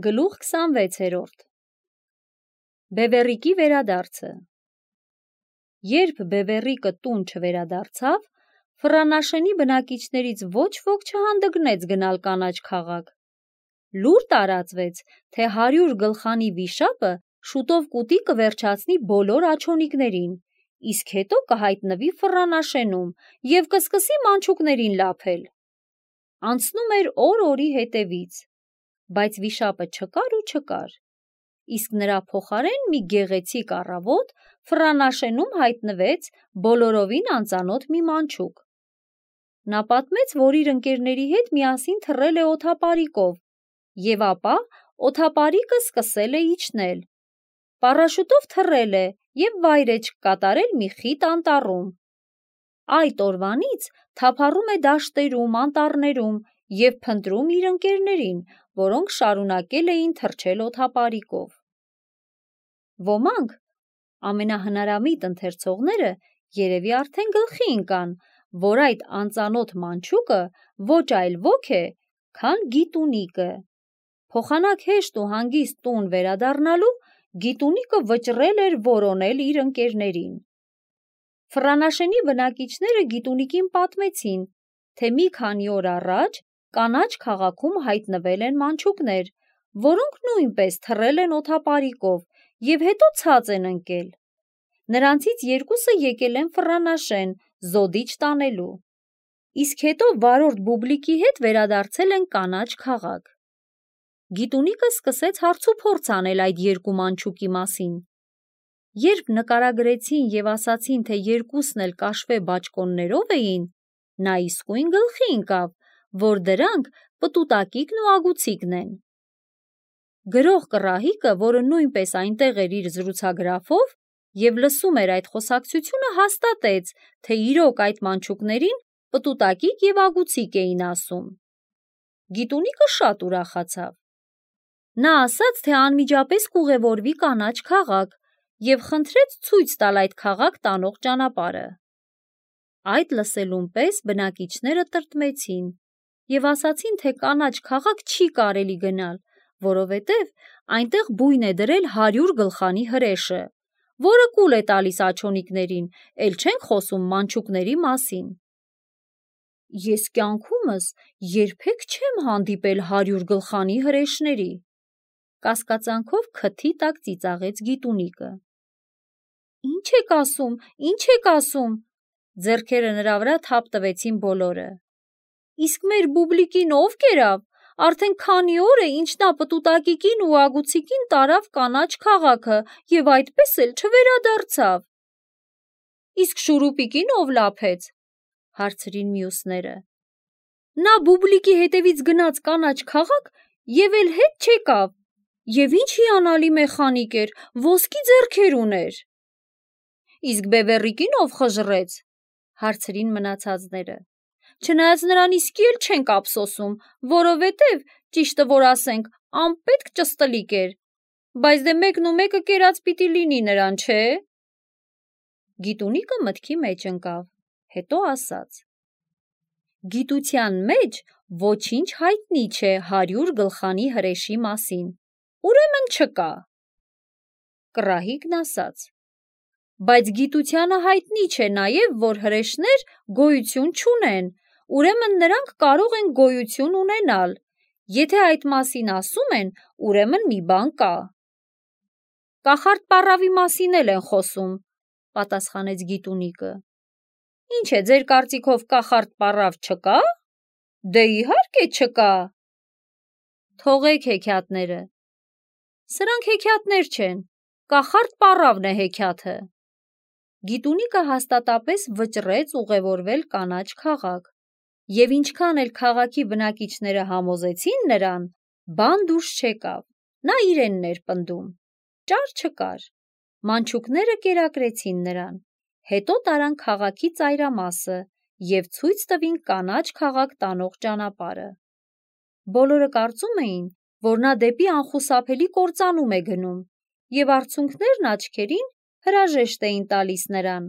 Գլուխ 26-րդ Բևեռիկի վերադարձը Երբ Բևեռիկը տուն չվերադարձավ, Ֆրանաշենի բնակիչներից ոչ ոք չհանդգնեց գնալ կանաչ քաղաք։ Լուր տարածվեց, թե 100 գլխանի վիշապը շուտով կուտի կվերջացնի բոլոր աջոնիկներին, իսկ հետո կհայտնվի Ֆրանաշենում և կսկսի մանչուկներին լափել։ Անցնում էր օր օրի հետևից, բայց վիշապը չկար ու չկար, իսկ նրա փոխարեն մի գեղեցիկ առավոտ Ֆրանաշենում հայտնվեց բոլորովին անծանոթ մի մանչուկ։ Նա պատմեց, որ իր ընկերների հետ միասին թռել է օդապարիկով, և ապա օդապարիկը սկսել է իջնել։ Պարաշուտով թռել է և վայրէջք կատարել մի խիտ անտառում։ Այդ օրվանից թափառում է դաշտերում, անտառներում և փնտրում իր ընկերներին, որոնք շարունակել էին թռչել օդապարիկով։ Ոմանք, ամենահնարամիտ ընթերցողները, երևի արդեն գլխի ընկան, որ այդ անծանոթ մանչուկը ոչ այլ ոք է, քան Գիտունիկը։ Փոխանակ հեշտ ու հանգիստ տուն վերադառնալու, Գիտունիկը վճռել էր որոնել իր ընկերներին։ Ֆրանաշենի բնակիչները Գիտունիկին պատմեցին, թե մի քանի օր առաջ կանաչ քաղաքում հայտնվել են մանչուկներ, որոնք նույնպես թռել են օդապարիկով և հետո ցած են ընկել։ Նրանցից երկուսը եկել են Ֆրանաշեն զոդիչ տանելու, իսկ հետո վարորդ Բուբլիկի հետ վերադարձել են կանաչ քաղաք։ Գիտունիկը սկսեց հարցուփորձ անել այդ երկու մանչուկի մասին։ Երբ նկարագրեցին և ասացին, թե երկուսն էլ կաշվե բաճկոններով էին, նա իսկույն գլխի ընկավ, որ դրանք պտուտակիկն ու ագուցիկն են։ Գրող Կռահիկը, որը նույնպես այնտեղ էր իր զրուցագրաֆով և լսում էր այդ խոսակցությունը, հաստատեց, թե իրոք այդ մանչուկներին պտուտակիկ և ագուցիկ էին ասում։ Գիտունիկը շատ ուրախացավ։ Նա ասաց, թե անմիջապես կուղևորվի կանաչ քաղաք և խնդրեց ցույց տալ այդ քաղաք տանող ճանապարհը։ Այդ լսելուն պես բնակիչները տրտմեցին և ասացին, թե կանաչ քաղաք չի կարելի գնալ, որովհետև այնտեղ բույն է դրել 100 գլխանի հրեշը, որը կուլ է տալիս աջոնիկներին, էլ չենք խոսում մանչուկների մասին։ Ես կյանքումս երբեք չեմ հանդիպել 100 գլխանի հրեշների, կասկածանքով քթի տակ ծիծաղեց Գիտունիկը։ Ինչ եք ասում, ձեռքերը նրա վրա թափ տվեցին բոլորը։ Իսկ մեր Բուբլիկին ով կերավ, արդեն քանի օր է, ինչ նա պտուտակիկին ու ագուցիկին տարավ կանաչ քաղաքը և այդպես էլ չվերադարձավ։ Իսկ շուրուպիկին ով լափեց, հարցրին մյուսները։ Նա Բուբլիկի հետևից գնաց կանաչ քաղաք և էլ հետ չեկավ, և ինչ հիանալի մեխանիկ էր, ոսկի ձեռքեր ուներ։ Իսկ Բևեռիկին ով խժռեց, հարցրին մնացածները։ Չնայած նրան իսկի էլ չենք ափսոսում, որովհետև, ճիշտը որ ասենք, անպետք ճստլիկ էր, բայց դե մեկն ու մեկը կերած պիտի լինի նրան, չէ՞։ Գիտունիկը մտքի մեջ ընկավ, հետո ասաց. Գիտության մեջ ոչինչ հայտնի չէ 100 գլխանի հրեշի մասին, ուրեմն չկա։ Կռահիկն ասաց. Բայց գիտությանը հայտնի չէ նաև, որ հրեշներ գոյություն չունեն, ուրեմն նրանք կարող են գոյություն ունենալ։ Եթե այդ մասին ասում են, ուրեմն մի բան կա։ Կախարդ պառավի մասին էլ են խոսում, պատասխանեց Գիտունիկը։ Ինչ է, ձեր կարծիքով կախարդ պառավ չկա։ Դե իհարկե չկա։ Թողեք հեքիաթները։ Սրանք հեքիաթներ չեն, կախարդ պառավն է հեքիաթը։ Գիտունիկը հաստատապես վճռեց ուղևորվել կանաչ քաղաք, և ինչքան էլ քաղաքի բնակիչները համոզեցին նրան, բան դուրս չեկավ, նա իրենն էր պնդում, ճար չկար։ Մանչուկները կերակրեցին նրան, հետո տարան քաղաքի ծայրամասը և ցույց տվին կանաչ քաղաք տանող ճանապարհը։ Բոլորը կարծում էին, որ նա դեպի անխուսափելի կործանում է գնում, և արցունքներն աչքերին հրաժեշտ էին տալիս նրան։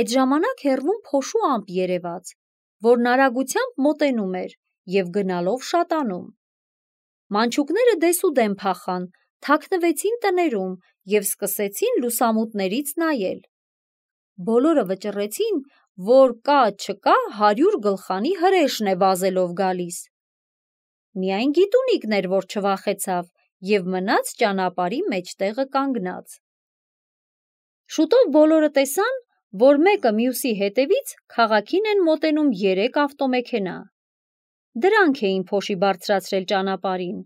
Այդ ժամանակ հեռվում փոշու ամպ երևաց, որն արագությամբ մոտենում էր և գնալով շատանում։ Մանչուկները դեսուդեն փախան, թաքնվեցին տներում և սկսեցին լուսամուտներից նայել։ Բոլորը վճռեցին, որ կա-չկա 100 գլխանի հրեշն է վազելով գալիս։ Միայն Գիտունիկն էր, որ չվախեցավ և մնաց ճանապարհի մեջտեղը կանգնած։ Շուտով բոլորը տեսան, որ մեկը մյուսի հետևից քաղաքին են մոտենում 3 ավտոմեքենա։ Դրանք էին փոշի բարձրացրել ճանապարհին։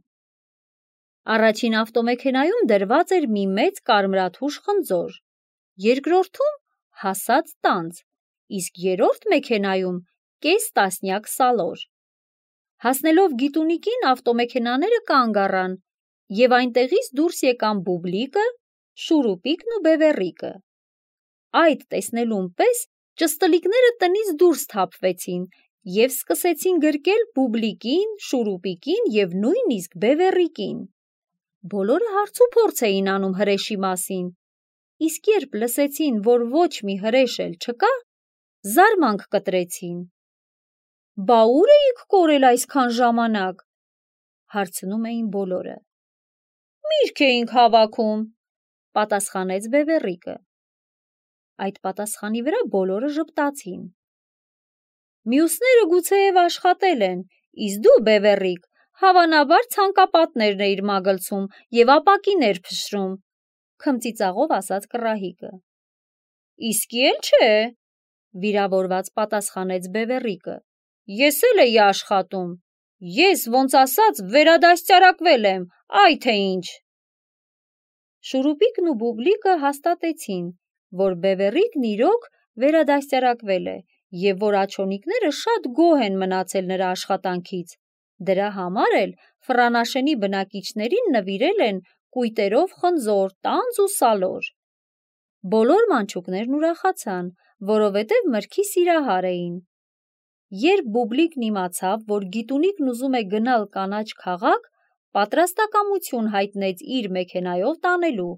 Առաջին ավտոմեքենայում դրված էր մի մեծ կարմրաթուշ խնձոր, երկրորդում հասած տանձ, իսկ երրորդ մեքենայում կես տասնյակ սալոր։ Հասնելով Գիտունիկին, ավտոմեքենաները կանգ առան և այնտեղից դուրս եկան Բուբլիկը, Շուրուպիկն ու Բևեռիկը։ Այդ տեսնելուն պես ճստլիկները տնից դուրս թափվեցին և սկսեցին գրկել Բուբլիկին, Շուրուպիկին և նույնիսկ Բևեռիկին։ Բոլորը հարցուփորձ էին անում հրեշի մասին, իսկ երբ լսեցին, որ ոչ մի հրեշ էլ չկա, զարմանք կտրեցին։ «Բա ուր էիք կորել այսքան ժամանակ», հարցնում էին բոլորը։ «Միրգ էինք հավաքում», պատասխանեց Բևեռիկը։ Այդ պատասխանի վրա բոլորը ժպտացին։ «Մյուսները գուցեև աշխատել են, իսկ դու, Բևեռիկ, հավանաբար ցանկապատներն էիր մագլցում և ապակիներ փշրում», քմծիծաղով ասաց կռահիկը։ «Իսկի էլ չէ», վիրավորված պատասխանեց Բևեռիկը։ «Ես էլ էի աշխատում։ Ես, ոնց ասած, վերադաստիարակվել եմ, այ թե ինչ»։ Շուրուպիկն ու Բուբլիկը հաստատեցին, որ Բևեռիկն իրոք վերադաստիարակվել է և որ աջոնիկները շատ գոհ են մնացել նրա աշխատանքից։ Դրա համար էլ Ֆրանաշենի բնակիչներին նվիրել են կույտերով խնձոր, տանձ ու սալոր։ Բոլոր մանչուկներն ուրախացան, որովհետև մրգի սիրահար էին։ Երբ Բուբլիկն իմացավ, որ Գիտունիկն ուզում է գնալ կանաչ քաղաք, պատրաստակամություն հայտնեց իր մեքենայով տանելու,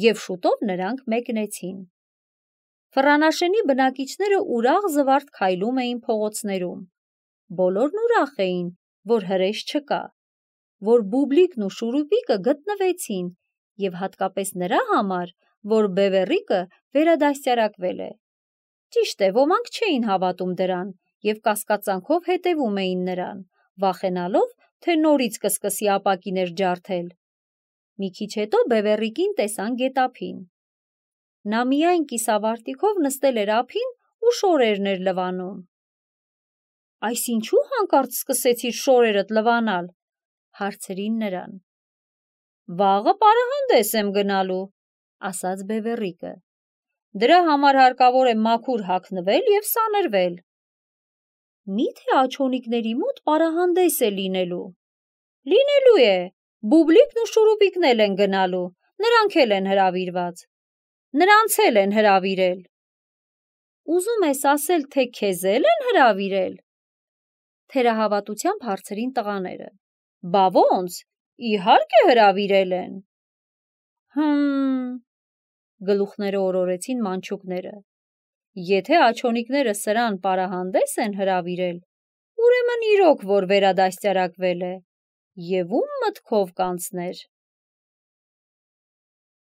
և շուտով նրանք մեկնեցին։ Ֆրանաշենի բնակիչները ուրախ զվարթ քայլում էին փողոցներում։ Բոլորն ուրախ էին, որ հրեշ չկա, որ Բուբլիկն ու Շուրուպիկը գտնվեցին, և հատկապես նրա համար, որ Բևեռիկը վերադաստիարակվել է։ Ճիշտ է, ոմանք չէին հավատում դրան և կասկածանքով հետևում էին նրան, վախենալով, թե նորից կսկսի ապակիներ ջարդել։ Մի քիչ հետո Բևեռիկին տեսան գետափին։ Նա միայն կիսավարտիքով նստել էր ափին ու շորերն էր լվանում։ «Այս ինչու հանկարծ սկսեցիր շորերդ լվանալ», հարցրին նրան։ «Վաղը պարահանդես եմ գնալու», ասաց Բևեռիկը։ «Դրա համար հարկավոր է մաքուր հագնվել և սանրվել»։ «Մի՞թե աջոնիկների մոտ պարահանդես է լինելու»։ «Լինելու է, Բուբլիկն ու Շուրուպիկն էլ են գնալու, նրանք էլ են հրավիրված»։ «Նրանց էլ են հրավիրել»։ «Ուզում ես ասել, թե քեզ էլ են հրավիրել»։ Թերահավատությամբ հարցրին տղաները։ «Բա ոնց, իհարկե հրավիրել են»։ Գլուխները օրորեցին մանչուկները։ Եթե աջոնիկները սրան պարահանդես են հրավիրել, ուրեմն իրոք որ վերադաստիարակվել է, և ում մտքով կանցներ։